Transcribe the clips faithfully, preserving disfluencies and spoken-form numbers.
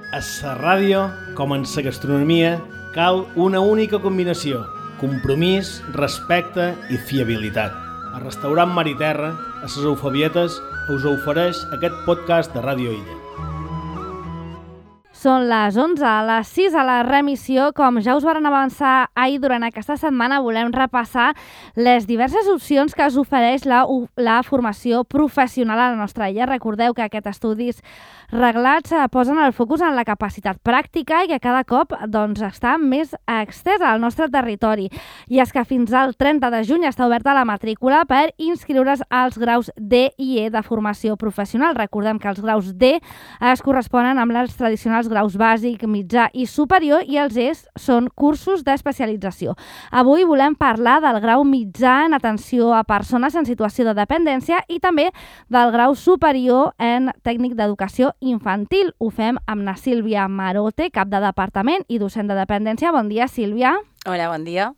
A la ràdio, com en la gastronomia, cal una única combinació: compromís, respecte i fiabilitat. El restaurant Mar i Terra, a les Eufabietes, us ofereix aquest podcast de Ràdio Illa. Són les onze, a les sis a la remissió. Com ja us varen avançar ahir, durant aquesta setmana volem repassar les diverses opcions que us ofereix la, la formació professional a la nostra illa. Recordeu que aquests estudis reglats posen el focus en la capacitat pràctica i que cada cop doncs, està més extesa al nostre territori. I és que fins al trenta de juny està oberta la matrícula per inscriure's als graus D i E de formació professional. Recordem que els graus D es corresponen amb els tradicionals graus bàsic, mitjà i superior, i els E són cursos d'especialització. Avui volem parlar del grau mitjà en atenció a persones en situació de dependència i també del grau superior en tècnic d'educació infantil. Ho fem amb na Sílvia Marote, cap de departament i docent de dependència. Bon dia, Sílvia. Hola, bon dia.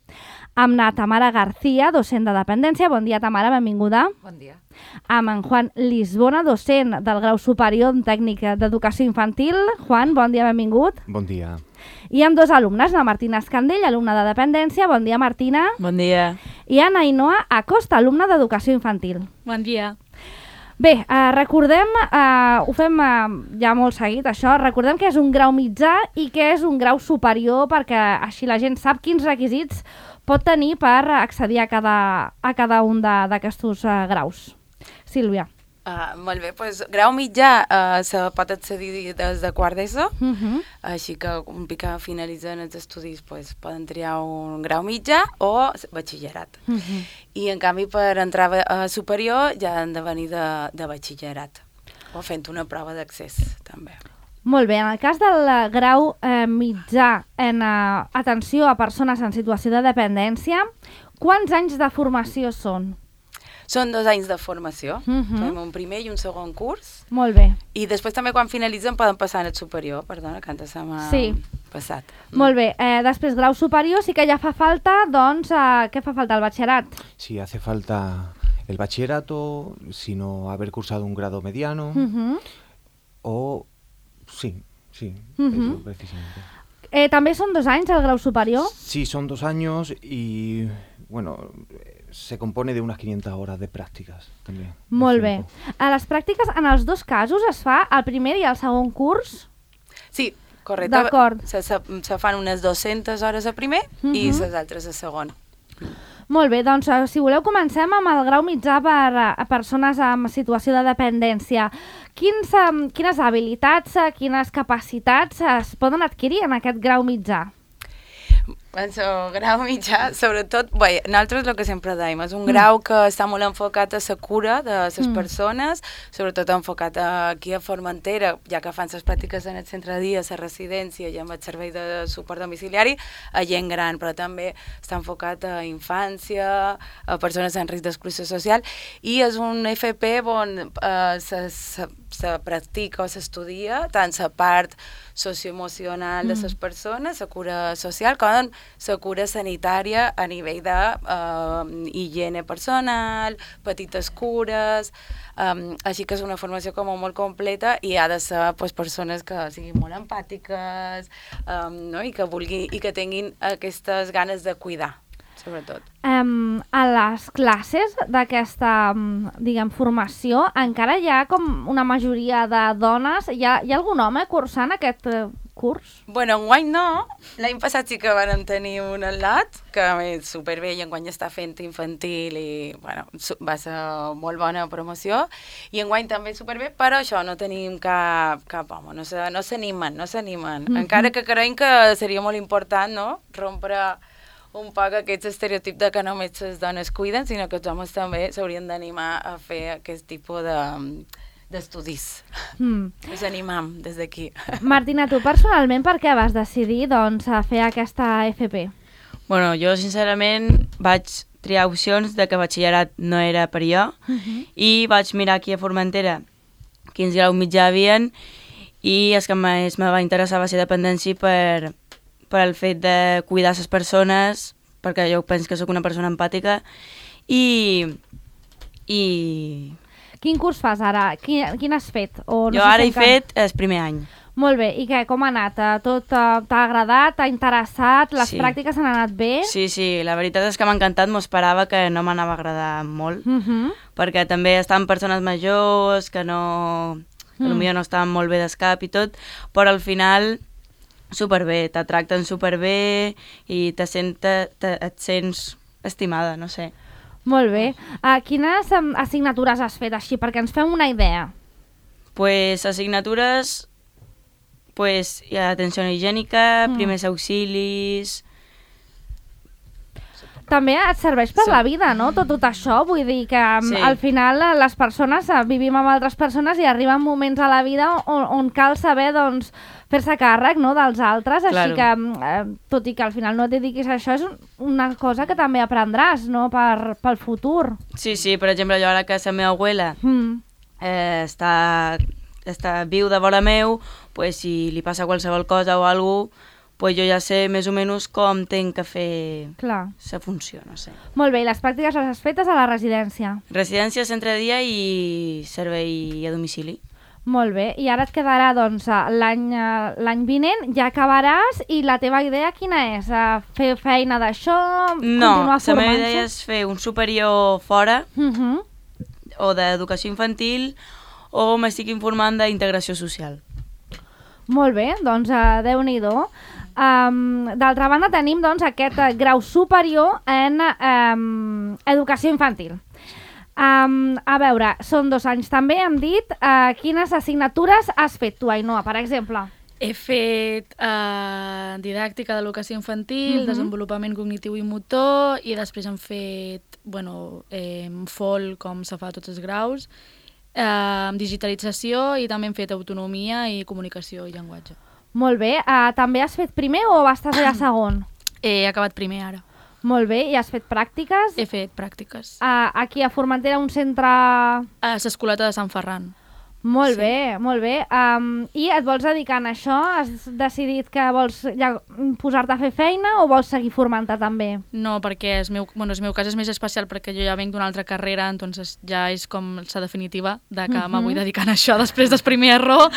Amb na Tamara García, docent de dependència. Bon dia, Tamara, benvinguda. Bon dia. Amb en Juan Lisbona, docent del grau superior en tècnic d'educació infantil. Juan, bon dia, benvingut. Bon dia. I amb dos alumnes, la Martina Escandell, alumna de dependència. Bon dia, Martina. Bon dia. I en Ainhoa Acosta, alumna d'educació infantil. Bon dia. Bé, eh, recordem, eh, ho fem eh, ja molt seguit això, recordem que és un grau mitjà i que és un grau superior, perquè així la gent sap quins requisits pot tenir per accedir a cada, a cada un d'aquests uh, graus. Sílvia. Uh, molt bé, doncs grau mitjà uh, se pot accedir des de quart d'ESO, Uh -huh. així que un pic que finalitzen els estudis pues, poden triar un grau mitjà o batxillerat. Uh -huh. I en canvi per entrar a superior ja han de venir de, de batxillerat o fent una prova d'accés també. Molt bé, en el cas del grau eh, mitjà en eh, atenció a persones en situació de dependència, quants anys de formació són? Són dos anys de formació, Uh -huh. fem un primer i un segon curs. Molt bé. I després també quan finalitzen poden passar en el superior, perdona, que antes se m'ha Sí. passat. Molt bé, eh, després grau superior sí que ja fa falta, doncs, eh, què fa falta, el batxillerat? Sí, hace falta el bachillerato, sino haber cursado un grado mediano, Uh -huh. o... Sí, sí, Uh eso -huh. precisamente. Eh, també són dos anys el grau superior? Sí, son dos años y, bueno, se compone de unas quinientas horas de prácticas también. Molt bé. A les pràctiques, en els dos casos, es fa el primer i el segon curs? Sí, correcte. D'acord. Se, se, se fan unes dues-centes hores a primer uh -huh. i les altres a segon. Molt bé, doncs si voleu comencem amb el grau mitjà per a persones en situació de dependència. Quins, um, quines habilitats, quines capacitats es poden adquirir en aquest grau mitjà? En el grau mitjà, sobretot, bé, nosaltres el que sempre dèiem, és un grau que està molt enfocat a la cura de les Mm. persones, sobretot enfocat aquí a Formentera, ja que fan les pràctiques en el centre de dia, a la residència i amb el servei de suport domiciliari, a gent gran, però també està enfocat a infància, a persones en risc d'exclusió social, i és un F P on eh, se, se, se practica o s'estudia tant la part socioemocional de les persones, la cura social, com la cura sanitària a nivell de uh, higiene personal, petites cures, um, així que és una formació com molt completa i ha de ser pues, persones que siguin molt empàtiques um, no? I que vulguin i que tinguin aquestes ganes de cuidar, sobretot. Um, a les classes d'aquesta, um, diguem, formació, encara hi ha com una majoria de dones. Hi ha, hi ha algun home cursant aquest uh, curs? Bueno, enguany no. L'any passat sí que vam tenir un al·lat, que és superbé, i enguany està fent infantil i bueno, va ser molt bona promoció. I enguany també superbé, però això, no tenim cap, cap home, no s'animen, no s'animen. Mm-hmm. Encara que creiem que seria molt important, no?, rompre un poc aquest estereotip de que només les dones cuiden, sinó que els homes també s'haurien d'animar a fer aquest tipus de... d'estudis. Mm. Us animam des d'aquí. Martina, tu personalment per què vas decidir doncs, a fer aquesta F P? Bueno, jo sincerament vaig triar opcions de que batxillerat no era per jo uh -huh. i vaig mirar aquí a Formentera quins graus mitjà havien i és que més me va interessar va ser dependència per, per el fet de cuidar les persones, perquè jo penso que sóc una persona empàtica i... i... Quin curs fas ara? Quin, quin has fet? O no jo sé ara si he fet el primer any. Molt bé, i què, com ha anat? Tot uh, t'ha agradat, t'ha interessat? Les Sí. pràctiques han anat bé? Sí, sí, la veritat és que m'ha encantat, m'ho esperava que no m'anava a agradar molt, Uh -huh. perquè també estaven persones majors que no... que Mm. potser no estaven molt bé d'escap i tot, però al final superbé, te tracten superbé i te sent, te, te, et sents estimada, no sé. Molt bé. Uh, quines um, assignatures has fet així, perquè ens fem una idea? Pues assignatures, pues hi ha atenció higiènica, Mm. primers auxilis... També et serveix per Sí. la vida, no? Tot, tot això, vull dir que um, Sí. al final eh, les persones eh, vivim amb altres persones i arriben moments a la vida on, on cal saber, doncs, fer-se càrrec, no?, dels altres, així Claro. que, um, eh, tot i que al final no et dediquis a això, és un- una cosa que també aprendràs, no?, per, pel futur. Sí, sí, per exemple, jo ara que la meva abuela Mm. eh, està, està viu de vora meu, pues, si li passa qualsevol cosa o alguna cosa, pues jo ja sé més o menys com tinc que fer Clar. la funció, no sé. Molt bé, i les pràctiques les has fetes a la residència. Residència, centre de dia i servei a domicili. Molt bé, i ara et quedarà, doncs, eh, l'any eh, l'any vinent, ja acabaràs, i la teva idea quina és? Eh, Fer feina d'això? No, Continuar la meva formant-se? idea és fer un superior fora, Uh -huh. o d'educació infantil, o m'estic informant d'integració social. Molt bé, doncs uh, Déu-n'hi-do. Um, D'altra banda tenim doncs, aquest uh, grau superior en um, educació infantil. Um, a veure, són dos anys també, hem dit. Uh, quines assignatures has fet tu, Ainhoa, per exemple? He fet eh, didàctica d'educació infantil, Mhm. desenvolupament cognitiu i motor, i després hem fet bueno, eh, F O L, com se fa a tots els graus, eh, digitalització, i també hem fet autonomia i comunicació i llenguatge. Molt bé. Uh, també has fet primer o estàs allà segon? He acabat primer ara. Molt bé. I has fet pràctiques? He fet pràctiques. Uh, aquí a Formentera, un centre... A l'Escoleta de Sant Ferran. Molt Sí. bé, molt bé. Um, I et vols dedicar a això? Has decidit que vols ja posar-te a fer feina o vols seguir formant-te també? No, perquè el meu, bueno, el meu cas és més especial perquè jo ja venc d'una altra carrera, entonces ja és com la definitiva de que Mhm. me vull dedicar a això després del primer error.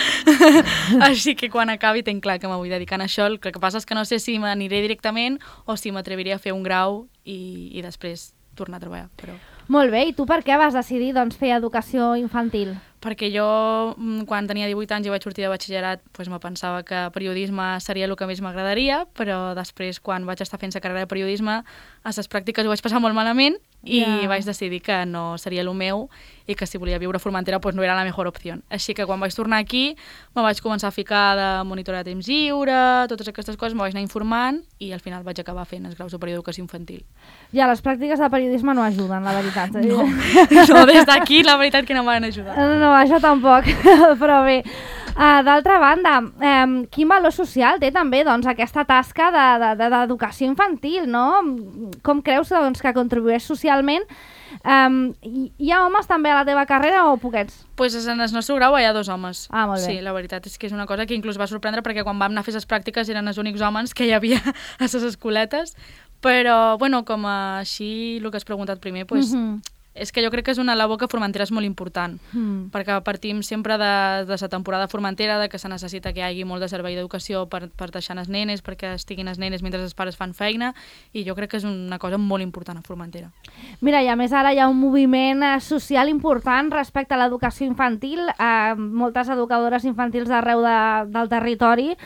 Així que quan acabi tinc clar que me vull dedicar a això. El que passa és que no sé si m'aniré directament o si m'atreviria a fer un grau i, i després tornar a treballar. Però... Molt bé, i tu per què vas decidir doncs, fer educació infantil? Perquè jo, mm, quan tenia divuit anys i vaig sortir de batxillerat, doncs me pensava que periodisme seria el que més m'agradaria, però després, quan vaig estar fent la carrera de periodisme, a les pràctiques ho vaig passar molt malament i Ja. vaig decidir que no seria el meu i que si volia viure a Formentera doncs no era la millor opció. Així que quan vaig tornar aquí me vaig començar a ficar de monitora de temps lliure, totes aquestes coses, me vaig anar informant i al final vaig acabar fent el grau superior d'educació infantil. Ja, les pràctiques de periodisme no ajuden, la veritat. No, no des d'aquí la veritat que no m'han ajudat. No, això tampoc, però bé. Uh, D'altra banda, um, quin valor social té també doncs, aquesta tasca d'educació de, de, d'educació infantil, no? Com creus doncs, que contribueix socialment? Um, hi, hi ha homes també a la teva carrera o poquets? Pues en el nostre grau hi ha dos homes. Ah, molt bé. Sí, la veritat és que és una cosa que inclús va sorprendre perquè quan vam anar a fer les pràctiques eren els únics homes que hi havia a les escoletes. Però, bueno, com a així el que has preguntat primer, pues, Mhm. és que jo crec que és una labor que a Formentera és molt important, Mm. perquè partim sempre de, de la temporada Formentera, de que se necessita que hi hagi molt de servei d'educació per, per deixar les nenes, perquè estiguin les nenes mentre els pares fan feina, i jo crec que és una cosa molt important a Formentera. Mira, i a més ara hi ha un moviment eh, social important respecte a l'educació infantil. Eh, moltes educadores infantils d'arreu de, del territori,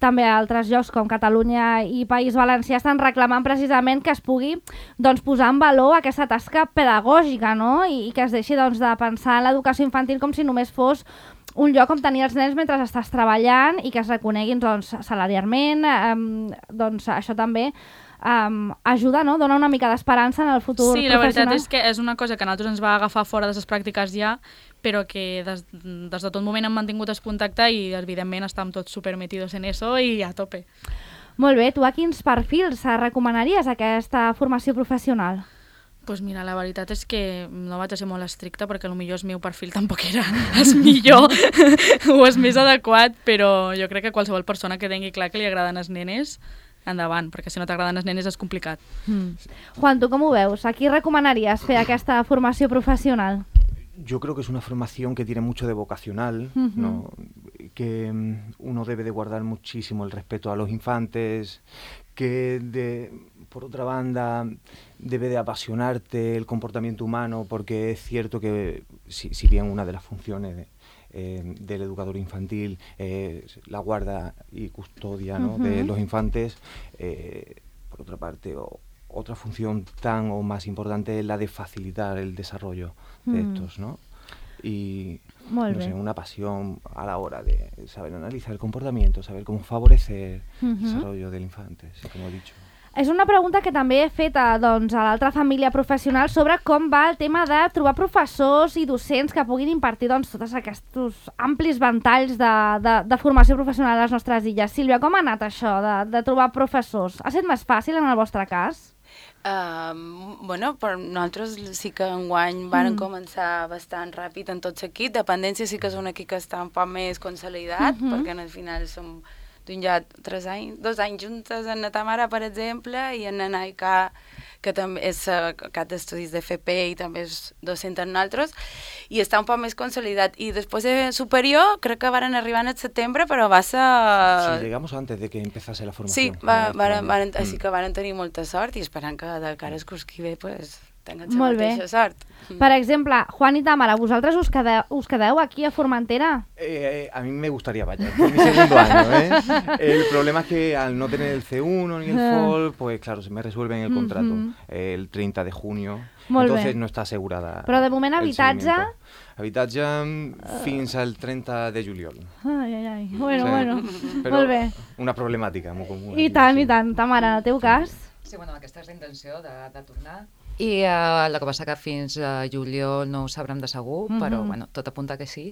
també a altres llocs com Catalunya i País Valencià, estan reclamant precisament que es pugui doncs, posar en valor aquesta tasca pedagògica, no? I, i que es deixi doncs, de pensar en l'educació infantil com si només fos un lloc on tenir els nens mentre estàs treballant i que es reconeguin doncs, salarialment. Eh, doncs això també Um, ajuda, no? Dona una mica d'esperança en el futur Sí, la veritat professional. és que és una cosa que a nosaltres ens va agafar fora de les pràctiques ja, però que des, des de tot moment hem mantingut el contacte i evidentment estem tots supermetidos en eso i a tope. Molt bé, tu a quins perfils recomanaries aquesta formació professional? Pues mira, la veritat és que no vaig a ser molt estricta perquè potser el meu perfil tampoc era el millor o el més adequat, però jo crec que qualsevol persona que tingui clar que li agraden els nenes, endavant, perquè si no t'agraden els nenes és complicat. Mm. Juan, tu com ho veus? A qui recomanaries fer aquesta formació professional? yo creo que es una formación que tiene mucho de vocacional, Uh-huh. ¿no? Que um, uno debe de guardar muchísimo el respeto a los infantes, que de, por otra banda debe de apasionarte el comportamiento humano, porque es cierto que si, si bien una de las funciones de, eh, del educador infantil es eh, la guarda y custodia, ¿no? Uh-huh. de los infantes, eh, por otra parte o, otra función tan o más importante es la de facilitar el desarrollo de mm. estos, ¿no? Y no sé, una pasión a la hora de saber analizar el comportamiento, saber cómo favorecer uh-huh. el desarrollo del infante, sí, com he dit. És una pregunta que també he fet a, doncs, a l'altra família professional sobre com va el tema de trobar professors i docents que puguin impartir doncs, tots aquests amplis ventalls de, de, de formació professional a les nostres illes. Sílvia, com ha anat això de, de trobar professors? Ha estat més fàcil en el vostre cas? Uh, bueno, per nosaltres sí que enguany varen mm. començar bastant ràpid en tot seguit. Dependència sí que és un equip que està un poc més consolidat, mm-hmm. perquè al final som d'un ja tres anys, dos anys juntes en la Tamara, per exemple, i en la Naika, que també és uh, cap d'estudis de F P i també és docent en nosaltres, i està un poc més consolidat. I després de superior, crec que varen arribar en el setembre, però va ser... Sí, llegamos antes de que empezase la formació. Sí, va, varen, varen, mm. així que varen tenir molta sort i esperant que de cara al curs que ve, pues, tenen la mateixa sort. Per exemple, Juan i Tamara, ¿vosaltres us quedeu, us quedeu aquí a Formentera? Eh, a mí me gustaría, vaya, es mi segundo año, ¿eh? El problema es que al no tener el C uno ni el F O L, pues claro, se me resuelve en el contrato uh-huh. el treinta de junio, Molt entonces bé. No está asegurada. Però de moment habitatge? Habitatge fins al treinta de juliol. Ai, ai, ai. Bueno, sí. bueno. Però Molt bé. Una problemàtica molt comuna. I tant, sí. i tant. Tamara, en el teu sí. cas? Sí, bueno, aquesta és la intenció de, de tornar. I uh, el que passa que fins a juliol no ho sabrem de segur, mm-hmm. però bueno, tot apunta que sí.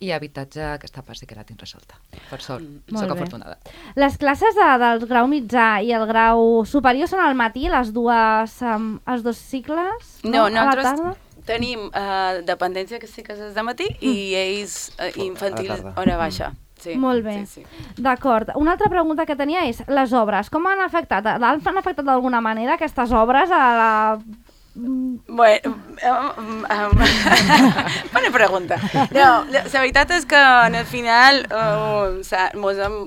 I habitatge, aquesta part sí que la tinc resolta. Per sort, mm. soc afortunada. Les classes de, del grau mitjà i el grau superior són al matí, les dues, um, els dos cicles? No, no nosaltres tenim uh, dependència que sí que és de matí mm. i ells uh, infantil hora baixa. Mm. Sí, Molt bé, sí, sí. D'acord. Una altra pregunta que tenia és les obres. Com han afectat? Han afectat d'alguna manera aquestes obres a la... Bueno, um, um, bona pregunta. No, la, la veritat és que al final uh, mos hem,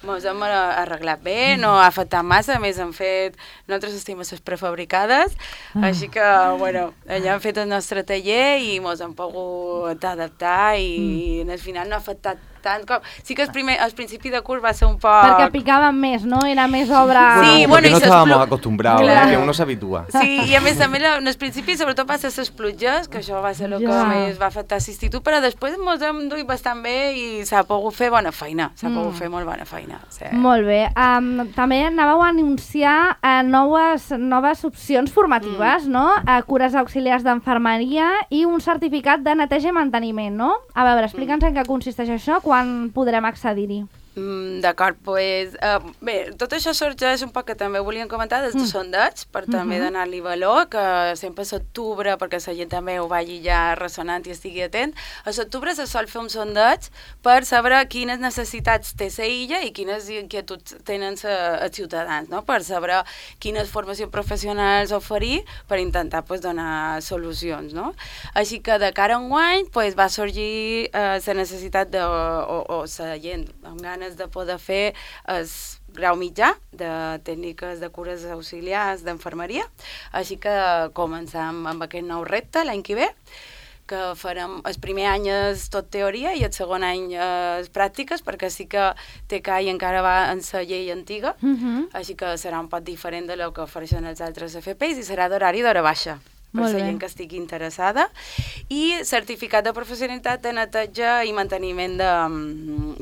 mos hem arreglat bé, no ha afectat massa, a més hem fet, nosaltres estem a les prefabricades, ah. així que, bueno, allà hem fet el nostre taller i mos hem pogut adaptar i mm. al final no ha afectat tant com... Sí que el, primer, el principi de curs va ser un poc... Perquè picaven més, no? Era més obra... Sí, bueno, porque no estábamos plu... acostumbrados, claro. que uno s'habitua. Sí, i a més també en el principi sobretot va ser les pluges, que això va ser el que ja. més va afectar l'institut, però després ens hem duit bastant bé i s'ha pogut fer bona feina, s'ha mm. pogut fer molt bona feina. Sí. Molt bé. Um, també anàveu a anunciar uh, noves, noves opcions formatives, mm. no? Uh, cures auxiliars d'enfermeria i un certificat de neteja i manteniment, no? A veure, explica'ns mm. en què consisteix això, quan podrem accedir-hi. Mm, D'acord, pues, uh, bé, tot això sorgeix un poc que també volíem comentar des de mm. sondeig, per també uh-huh. donar-li valor, que sempre a l'octubre, perquè la gent també ho vagi ja ressonant i estigui atent, a l'octubre se sol fer un sondeig per saber quines necessitats té la illa i quines inquietuds tenen els ciutadans, no? Per saber quines formacions professionals oferir per intentar pues, donar solucions. No? Així que de cara a enguany pues, va sorgir eh, la necessitat de, o, o la gent amb ganes de poder fer el grau mitjà de tècniques de cures auxiliars d'enfermeria, així que començam amb aquest nou repte l'any que ve, que farem el primer any és tot teoria i el segon any és pràctiques, perquè sí que T C A I encara va en la llei antiga, uh-huh. així que serà un poc diferent de lo que ofereixen els altres F P is i serà d'horari d'hora baixa, per la gent que estigui interessada, i certificat de professionalitat de neteja i manteniment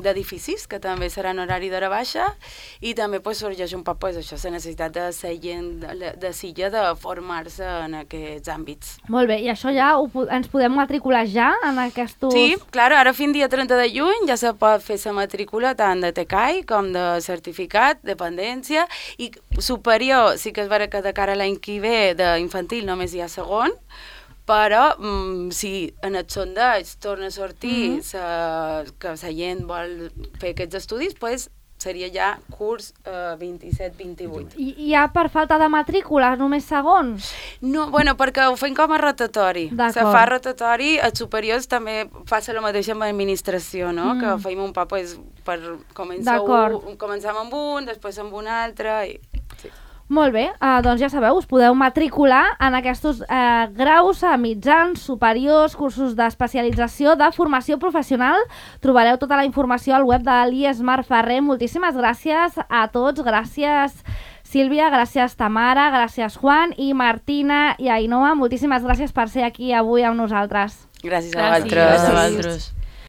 d'edificis, que també serà en horari d'hora baixa, i també pues, sorgeix un poc pues, això, la necessitat de la gent de, de Silla de formar-se en aquests àmbits. Molt bé, i això ja ho, ens podem matricular ja en aquests... Sí, clar, ara fins dia trenta de juny ja se pot fer la matrícula tant de T C A I com de certificat, dependència, i superior, sí que és vera que de cara a l'any que ve d'infantil només hi ha segon, però mm, si en el sondeig torna a sortir mm-hmm. sa, que la gent vol fer aquests estudis, pues, seria ja curs eh, vint-i-set vint-i-vuit. I hi ha per falta de matrícula, només segon? No, bueno, perquè ho fem com a rotatori. Se fa rotatori, els superiors també passa el mateix amb l'administració, no? Mm. Que fem un pa, pues, per començar un, començar amb un, després amb un altre... I... Sí. Molt bé, uh, doncs ja sabeu, us podeu matricular en aquests uh, graus uh, mitjans, superiors, cursos d'especialització, de formació professional. Trobareu tota la informació al web de l'I E S Mar Ferrer. Moltíssimes gràcies a tots, gràcies Sílvia, gràcies Tamara, gràcies Juan i Martina i Ainhoa. Moltíssimes gràcies per ser aquí avui amb nosaltres. Gràcies a vosaltres. Gràcies a vosaltres.